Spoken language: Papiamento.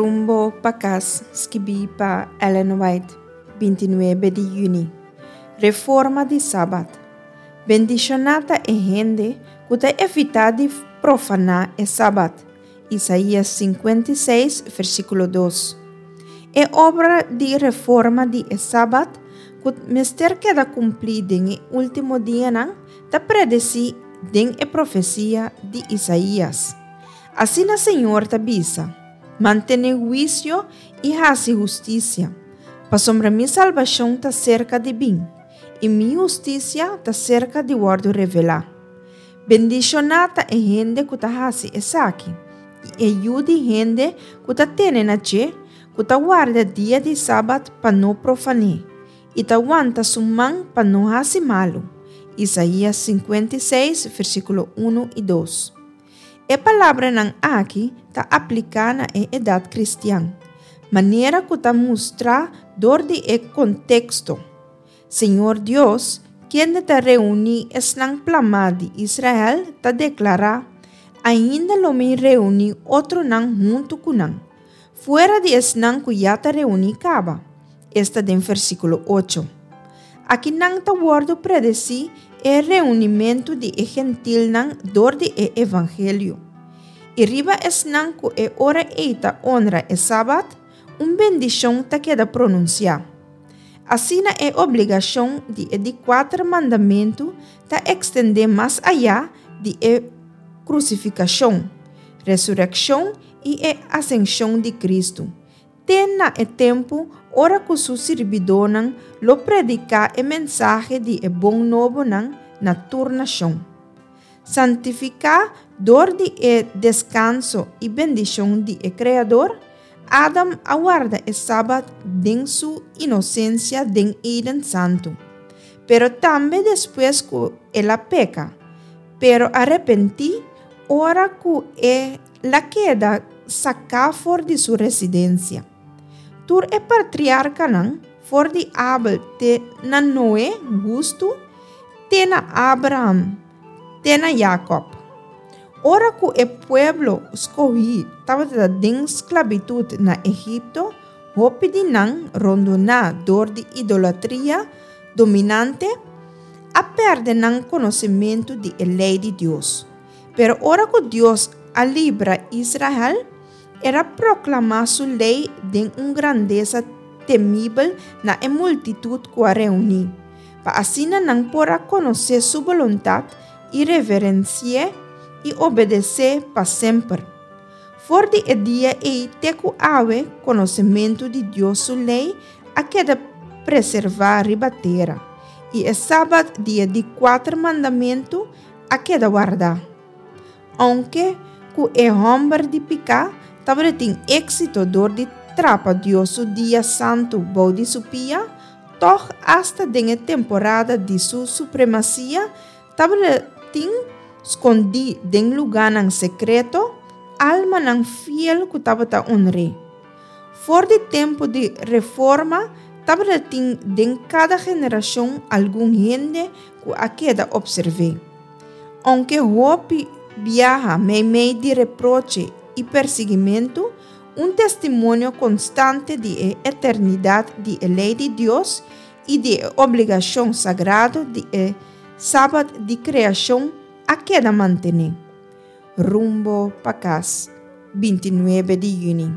Rumbo pa Kas, skibí pa Ellen White, 29 di yüni. Reforma di Sabat. Bendishoná ta e hende ku ta evitá di profaná e Sabat. Isaías 56, versíkulo 2. E obra di reforma di e Sabat, ku mester keda kumplí den e último dianan, ta predesí den e profesia di Isaías. Asina Señor ta bisa, Mantené huisio i hasi hustisia, pasobra mi salbashon ta serka di bin, i mi hustisia ta serka di wòrdu revelá. Bendishoná ta e hende ku ta hasi esaki, i e yu di hende ku ta tene na dje, ku ta warda dia di sabat pa no profané, i ta wanta su man pa no hasi malu. Isaías 56, versíkulo 1 i 2. E palabranan aki ta apliká na e edat kristian, manera ku ta mustrá dor di e konteksto. Señor Dios, kende ta reuní esnan plamá di Israel, ta deklará, Ainda lo mi reuní otronan huntu ku nan, fuera di esnan ku ya ta reuní kaba. Esta den versíkulo ocho. Akinan ta wòrdu predesí e reunimentu di e gentilnan dor di e evangelio. I riba esnan ku e ora ei ta onra e sabat, un bendishon ta keda pronunsiá. Asina e obligashon di e di kuater mandamentu ta ekstendé mas ayá di e krusifikashon, resurekshon i e asenshon di Kristu, te na e tempu ora ku su sirbidónan lo prediká e mensahe di e bon nobonan na tur nashon. Santifiká dor di e deskanso i bendishon di e Kreador, Adam a warda e Sabat den su inosensia den Eden santu. Pero tambe despues ku el a peka, pero a repentí ora ku e la keda saká for di su residensia. Tur e patriarkanan, for di Abel te na Noe, hustu, te na Abraham, te na Jakòb. Ora ku e pueblo skohí tabata den sklabitut na Egipto, hopi di nan, rondoná dor di idolatria dominante, a pèrdè nan konosementu di e Lei di Dios. Pero ora ku Dios a libra Israel, El a proklamá su lei den un grandesa temibel na e multitut ku a reuní, pa asina nan por a konosé su boluntat i reverensi'é i obedes'é pa semper. For di e dia ei te ku awe konosementu di Dios su lei a keda preservá riba tera, i e sabat di e di kuater mandamentu a keda wardá. Ounke ku e hòmber di piká tabatin éksito dor di trapa Dios su dia santu bou di su pia, tòg asta den e temporada di su supremasia tabatin skondí den lugánan sekreto almanan fiel ku tabata onr'é. For di tempu di Reforma tabatin den kada generashon algun hende ku a keda opserv'é. Ounke hopi biaha meimei di reproche i persiguimentu, un testimonio konstante di e eternidat di e lei di Dios i di e obligashon sagrado di e Sabat di kreashon a keda mantené. Rumbo pa kas, 29 di yüni.